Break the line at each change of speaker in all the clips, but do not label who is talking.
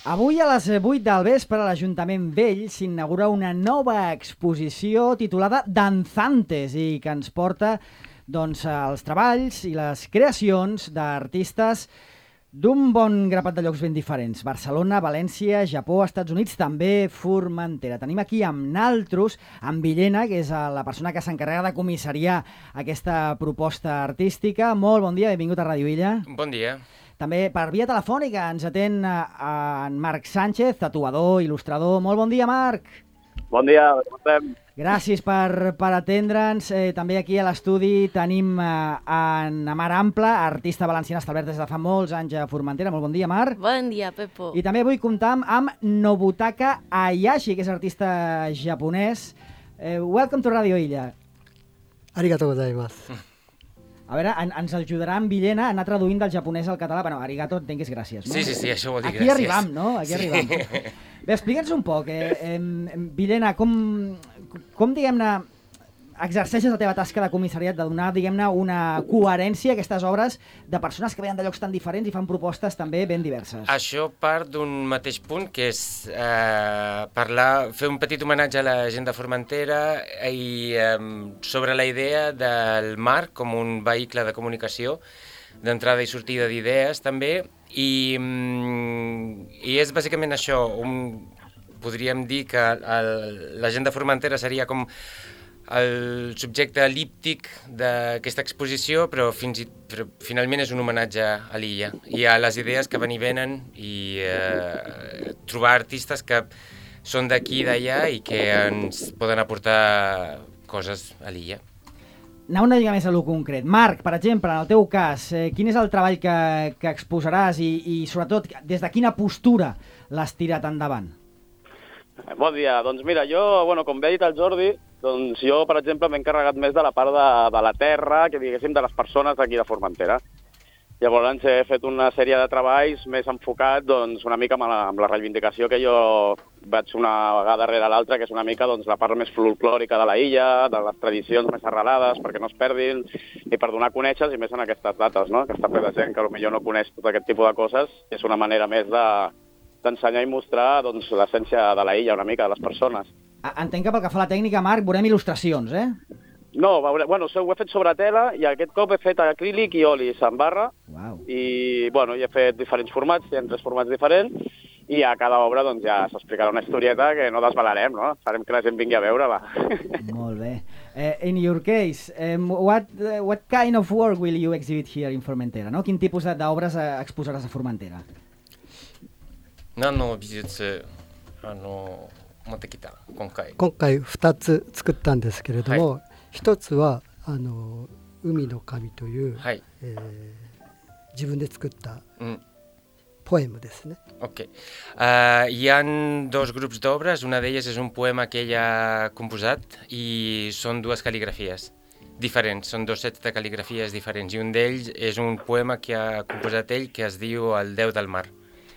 Avui a les 8 del vespre a l'Ajuntament Vell s'inaugura una nova exposició titulada Danzantes i que ens porta els treballs i les creacions d'artistes d'un bon grapat de llocs ben diferents. Barcelona, València, Japó, Estats Units, també Formentera. Tenim aquí amb naltros, amb Villena, que és la persona que s'encarrega de comissariar aquesta proposta artística. Molt bon dia, benvingut a Ràdio Illa.
Bon dia.
També per via telefònica ens atén en Marc Sánchez, tatuador, il·lustrador. Molt bon dia, Marc.
Bon dia, com estem?
Gràcies per atendre'ns. També aquí a l'estudi tenim en Mar Ample, artista valenciana establert des de fa molts anys a Formentera. Molt bon dia, Mar.
Bon dia, Pepo.
I també avui comptam amb Nobutaka Hayashi, que és artista japonès. Welcome to Radio Illa.
Arigatou gozaimasu.
A veure, ens ajudarà en Villena a anar traduint del japonès al català. Bueno, arigato entenc que és gràcies, no?
Sí, això vol dir
Aquí
gràcies.
arribam, no? Aquí arribam. Bé, explica'ns un poc, Villena, com diguem-ne, exerceixes la teva tasca de comissariat, de donar, diguem-ne, una coherència a aquestes obres de persones que venen de llocs tan diferents i fan propostes també ben diverses.
Això part d'un mateix punt, que és fer un petit homenatge a la gent de Formentera i sobre la idea del mar com un vehicle de comunicació, d'entrada i sortida d'idees també, i és bàsicament això. Podríem dir que la gent de Formentera seria com el subjecte el·líptic d'aquesta exposició, però finalment és un homenatge a l'illa i a les idees que van i venen i trobar artistes que són d'aquí i d'allà i que ens poden aportar coses a l'illa.
Anar una mica més a lo concret. Marc, per exemple, en el teu cas, quin és el treball que exposaràs i sobretot des de quina postura l'has tirat endavant?
Bon dia. Doncs mira, com bé ha dit el Jordi, doncs jo, per exemple, m'he encarregat més de la part de la terra, que diguéssim, de les persones d'aquí de Formentera. Llavors he fet una sèrie de treballs més enfocats una mica amb la reivindicació que jo vaig una vegada darrere l'altra, que és una mica la part més folclòrica de la illa, de les tradicions més arrelades, perquè no es perdin, i per donar a conèixer, i més en aquestes dates, no? Aquesta ple de gent que potser no coneix tot aquest tipus de coses, és una manera més d'ensenyar i mostrar l'essència de la illa, una mica, de les persones.
Entenc que pel que fa a la tècnica, Marc, veurem il·lustracions, eh?
No, ho he fet sobre tela i aquest cop he fet acrílic i olis en barra.
Wow.
I he fet diferents formats, hi ha 3 formats diferents, i a cada obra ja s'explicarà una historieta que no desvelarem, no? Farem que la gent vingui a veure-la.
Molt bé. In your case, what kind of work will you exhibit here in Formentera? No? Quin tipus d'obres exposaràs a Formentera?
何の美術持ってきた今回
2つ作ったんですけれども、
はい、
1つは海の神という、
はい
自分で作ったポエムですね。
Ok. Hi ha 2 grups d'obres, una d'elles és un poema que ell ha composat i són 2 cal·ligrafies diferents, són 2 sets de cal·ligrafies diferents i un d'ells és un poema que ha composat ell que es diu El Déu del Mar.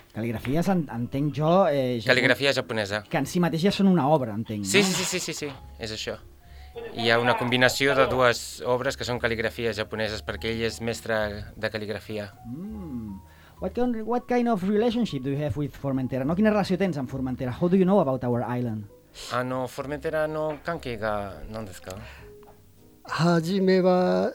Cal·ligrafies, entenc jo...
Cal·ligrafia japonesa.
Que en si mateix ja són una obra, entenc, no?
Sí, és això. Hi ha una combinació de 2 obres que són cal·ligrafies japoneses perquè ell és mestre de cal·ligrafia.
What kind of relationship do you have with Formentera? No? Quina relació tens amb Formentera? How do you know about our island?
Formenteraの関係が何ですか？
初めは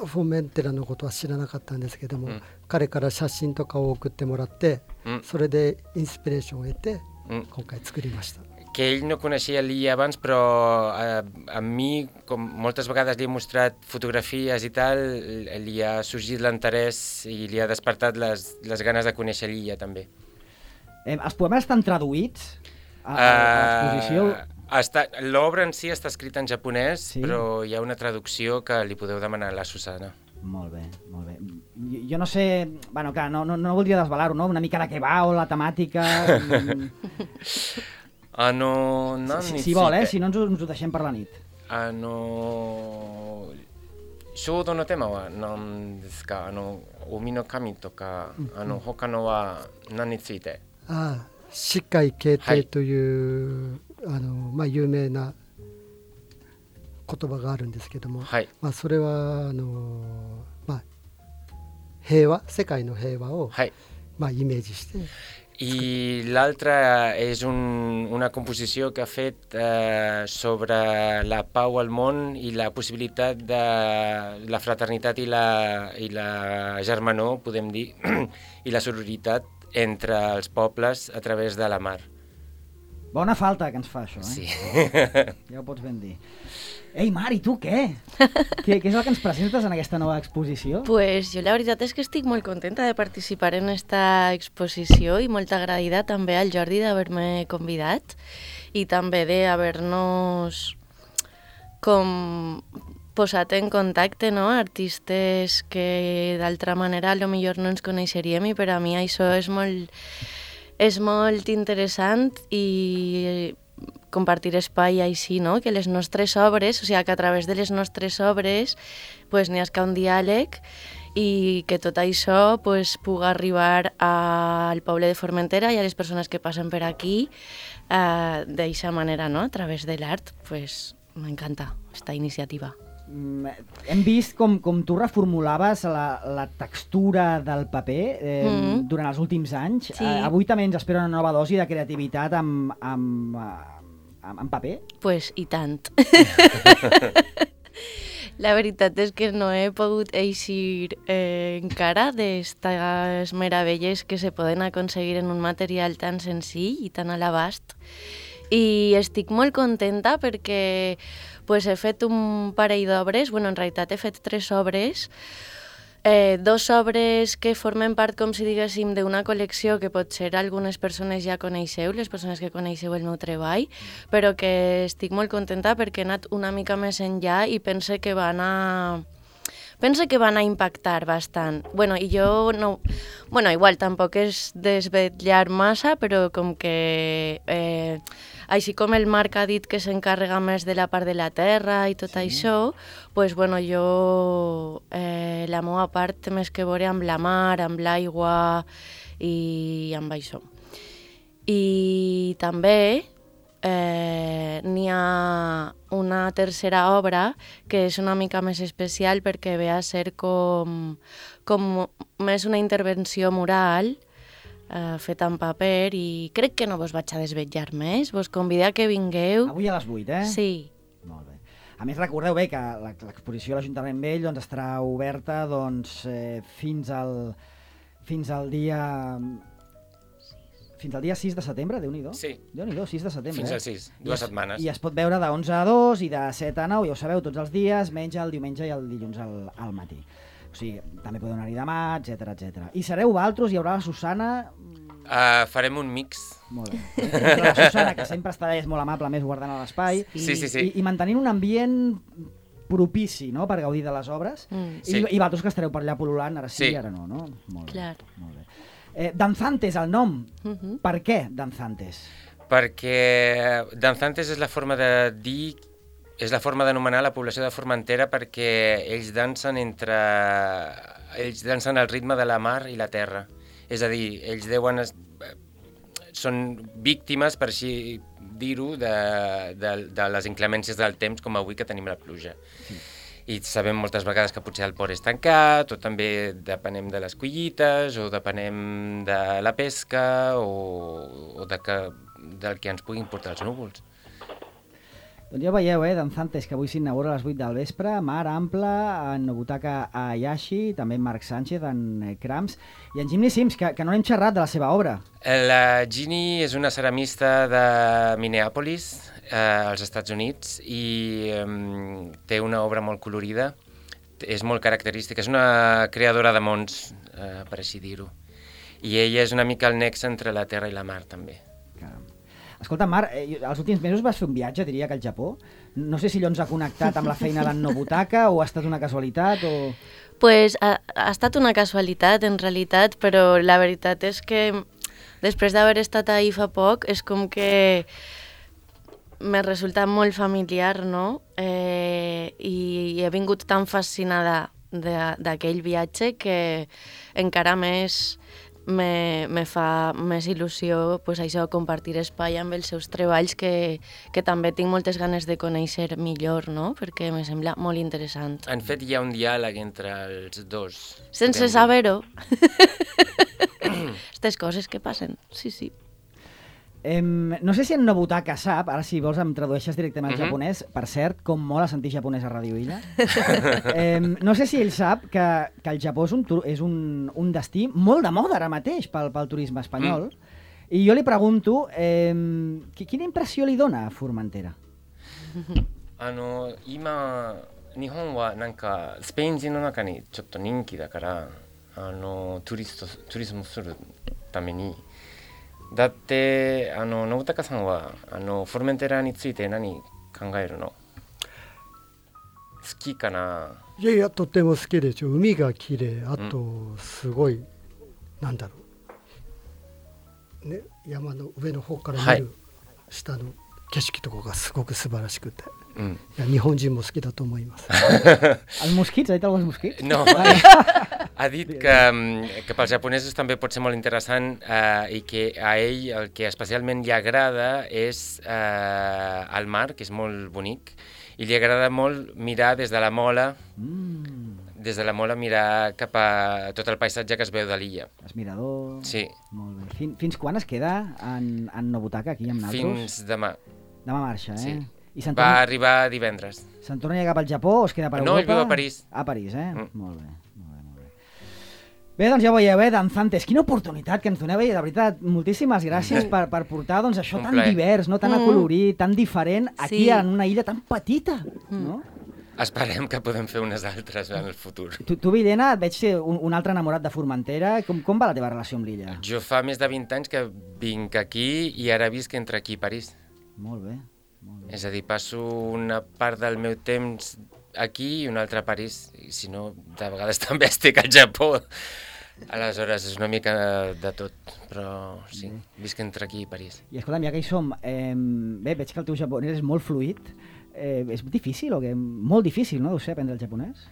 フォメンテラのことは知らなかったんですけども、彼から写真とかを送ってもらって、それでインスピレーションを得て、今回作りました。
Que ell no coneixia l'illa abans, però a mi, com moltes vegades li he mostrat fotografies i tal, li ha sorgit l'interès i li ha despertat les ganes de conèixer l'illa també.
Els poemes estan traduïts a l'exposició?
L'obra en si està escrita en japonès,
sí?
Però hi ha una traducció que li podeu demanar a la Susana.
Molt bé, molt bé. Jo no sé, bueno, clar, no voldria desvelar-ho, no? Una mica de què va o la temàtica... Si vol, si no ens ho deixem per la nit.
衝動のテーマは何ですか？海の神とか、他のは何について？
四海啓定という、有名な言葉があるんですけども、それは平和、世界の平和を、イメージして
I l'altra és una composició que ha fet sobre la pau al món i la possibilitat de la fraternitat i la germanor, podem dir, i la sororitat entre els pobles a través de la mar.
Bona falta que ens fa això,
Sí.
Ja ho pots ben dir. Ei, Mar, i tu què? Què és el que ens presentes en aquesta nova exposició?
Pues jo la veritat és que estic molt contenta de participar en esta exposició i molt agraïda també al Jordi d'haver-me convidat i també d'haver-nos com posat en contacte, no? Artistes que d'altra manera potser no ens coneixeríem i per a mi això és molt interessant i compartir espai així, no? Que les nostres obres, o sigui, que a través de les nostres obres pues, n'hi ha un diàleg i que tot això pues, pugui arribar al poble de Formentera i a les persones que passen per aquí d'aquesta manera, no? A través de l'art, pues, m'encanta aquesta iniciativa.
Hem vist com tu reformulaves la textura del paper durant els últims anys.
Sí.
Avui també ens espera una nova dosi de creativitat amb paper?
Pues i tant. La veritat és que no he pogut eixir encara d'estes meravelles que se poden aconseguir en un material tan senzill i tan a l'abast. I estic molt contenta perquè pues, he fet un parell d'obres, bueno, en realitat he fet 3 obres, 2 obres que formen part, com si diguéssim, d'una col·lecció que potser algunes persones ja coneixeu, les persones que coneixeu el meu treball, però que estic molt contenta perquè he anat una mica més enllà i pense que van a impactar bastant. Bueno, i jo no... Bueno, igual tampoc és desvetllar massa, però com que... així com el Marc ha dit que s'encarrega més de la part de la terra i tot això, pues, bueno, jo la meva part té més que veure amb la mar, amb l'aigua i amb això. I també n'hi ha una tercera obra que és una mica més especial perquè ve a ser com més una intervenció moral feta en paper i crec que no vos vaig a desvetllar més, vos convido a que vingueu.
Avui a les 8,
Sí.
Molt bé. A més, recordeu bé que l'exposició a l'Ajuntament Vell estarà oberta fins al dia 6 de setembre, Déu-n'hi-do.
Sí.
Déu-n'hi-do, 6 de setembre.
Fins al 6, 2 setmanes.
I es pot veure de 11 a 2 i de 7 a 9, ja ho sabeu, tots els dies, menys el diumenge i el dilluns al matí. O sigui, també podeu anar-hi demà, etc. I sereu vosaltres, hi haurà la Susana...
Farem un mix.
Molt bé. La Susana, que sempre està és molt amable, més guardant l'espai.
Sí.
I mantenint un ambient propici, no?, per gaudir de les obres.
Sí.
I vosaltres que estareu per allà pol·lulant, ara sí, ara no, no? Molt bé.
Clar.
Molt bé. Danzantes, el nom. Per què Danzantes?
Perquè Danzantes és la forma de dir... És la forma d'anomenar la població de Formentera perquè ells dansen al ritme de la mar i la terra. És a dir, ells són víctimes, per així dir-ho, de les inclemències del temps, com avui que tenim la pluja. Sí. I sabem moltes vegades que potser el port és tancat, o també depenem de les collites, o depenem de la pesca, o del que ens puguin portar els núvols.
Doncs ja veieu, Danzantes, que avui s'inaugura a les 8 del vespre, Mar Ample, en Nobutaka Ayashi, també en Marc Sánchez, en Krams, i en Jimmy Sims, que no n'hem xerrat de la seva obra.
La Ginny és una ceramista de Minneapolis, als Estats Units, i té una obra molt colorida, és molt característica, és una creadora de mons, per així dir-ho. I ella és una mica el nexe entre la terra i la mar, també.
Caram. Escolta, Mar, els últims mesos vas fer un viatge, diria que al Japó. No sé si allò ens ha connectat amb la feina d'en Nobutaka o ha estat una casualitat o...
Pues ha estat una casualitat, en realitat, però la veritat és que després d'haver estat ahir fa poc és com que me resulta molt familiar, no? I he vingut tan fascinada d'aquell viatge que encara més me fa més il·lusió pues, això, compartir espai amb els seus treballs que també tinc moltes ganes de conèixer millor, no? Perquè me sembla molt interessant.
En fet, hi ha un diàleg entre els dos.
Sense saber-ho. aquestes coses que passen, sí.
No sé si en Nobutaka sap, ara si vols em tradueixes directament al japonès, per cert, com mola sentir japonès a Ràdio Illa. No sé si ell sap que el Japó és un destí molt de moda ara mateix pel turisme espanyol, i jo li pregunto, quina impressió li dona a Formentera?
今日本はなんかスペイン人の中にちょっと人気だからトゥリスムするためにだって信孝さんはフォルメンテラについて何考えるの？好きかな？
いやとても好きでしょ。海が綺麗、あとすごい、なんだろうね、山の上の方から見る下の景色とかがすごく素晴らしくて、いや日本人も好きだと思います。
Els mosquits, ha dit alguns mosquits?
No, ha dit que pels japonesos també pot ser molt interessant i que a ell el que especialment li agrada és el mar, que és molt bonic, i li agrada molt mirar des de la mola, mirar cap a tot el paisatge que es veu de l'illa.
Els miradors...
Sí.
Molt bé. Fins quan es queda en Nobutaka, aquí amb nosaltres?
Fins demà.
Demà marxa,
Sí. Va arribar divendres.
Se'n torna a llegar pel Japó o es queda per Europa?
No, ell viu a París.
A París, Molt bé. Bé, doncs ja ho veieu, Danzantes, quina oportunitat que ens doneu, de veritat, moltíssimes gràcies per portar doncs, això tan divers, no? Tan acolorit, tan diferent, aquí en una illa tan petita, no?
Esperem que podem fer unes altres en el futur.
Tu Villena, et veig ser un altre enamorat de Formentera. Com va la teva relació amb l'illa?
Jo fa més de 20 anys que vinc aquí i ara visc entre aquí i París.
Molt bé.
És a dir, passo una part del meu temps aquí i una altra a París, i si no, de vegades també estic al Japó. Aleshores, és una mica de tot, però sí, visc entre aquí i París.
I escolta'm, ja que hi som, bé, veig que el teu japonès és molt fluid. És difícil o què? Molt difícil, no? Deu ser aprendre el japonès?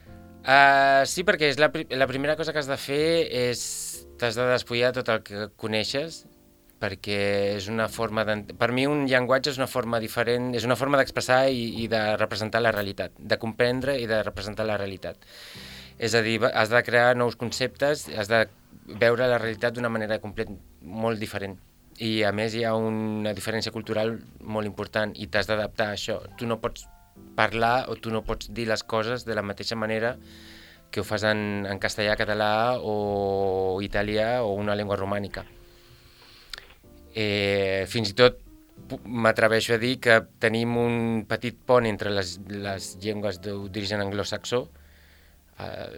Sí, perquè és la primera cosa que has de fer és t'has de despullar tot el que coneixes, perquè és una forma per mi un llenguatge és una forma diferent, és una forma d'expressar i de representar la realitat, de comprendre i de representar la realitat. És a dir, has de crear nous conceptes, has de veure la realitat d'una manera molt diferent. I a més hi ha una diferència cultural molt important i t'has d'adaptar a això. Tu no pots parlar o tu no pots dir les coses de la mateixa manera que ho fas en castellà, català o italià o una llengua romànica. Fins i tot m'atreveixo a dir que tenim un petit pont entre les llengües d'origen anglosaxó,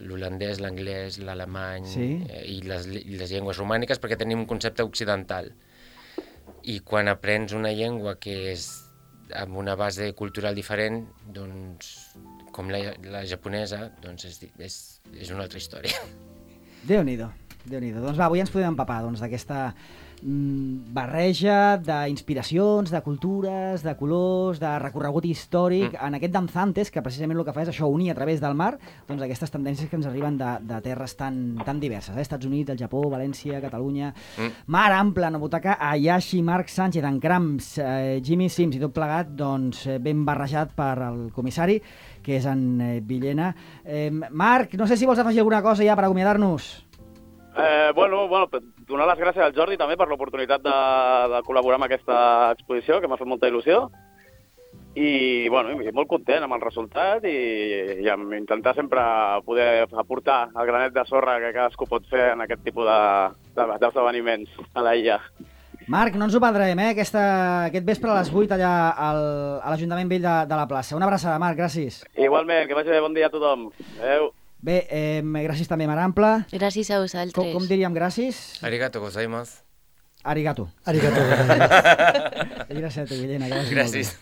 l'holandès, l'anglès, l'alemany i les llengües romàniques, perquè tenim un concepte occidental. I quan aprens una llengua que és amb una base cultural diferent, doncs, com la japonesa, doncs és una altra història.
Déu-n'hi-do. Doncs va, avui ens podem empapar d'aquesta barreja d'inspiracions, de cultures, de colors, de recorregut històric en aquest Danzantes, que precisament el que fa és això, unir a través del mar doncs aquestes tendències que ens arriben de terres tan diverses, Estats Units, el Japó, València, Catalunya, Mar Ample, Nobutaka, Ayashi, Marc Sánchez, en Cramps, Jimmy Sims i tot plegat doncs ben barrejat per el comissari, que és en Villena. Marc, no sé si vols afegir alguna cosa ja per acomiadar-nos.
Bueno, donar les gràcies al Jordi també per l'oportunitat de col·laborar amb aquesta exposició, que m'ha fet molta il·lusió. I molt content amb el resultat i intentar sempre poder aportar el granet de sorra que cadascú pot fer en aquest tipus d'esdeveniments a la illa.
Marc, no ens ho perdrem, aquest vespre a les 8 allà a l'Ajuntament Vell de la plaça. Una abraçada, Marc, gràcies.
Igualment, que vagi bé, bon dia a tothom. Adéu.
Bé, gràcies també, Mar Ample.
Gràcies a vosaltres.
Com diríem gràcies?
Arigato gozaimasu.
Arigato.
Arigato gozaimasu.
Gràcies a tu, Villena.
Gràcies.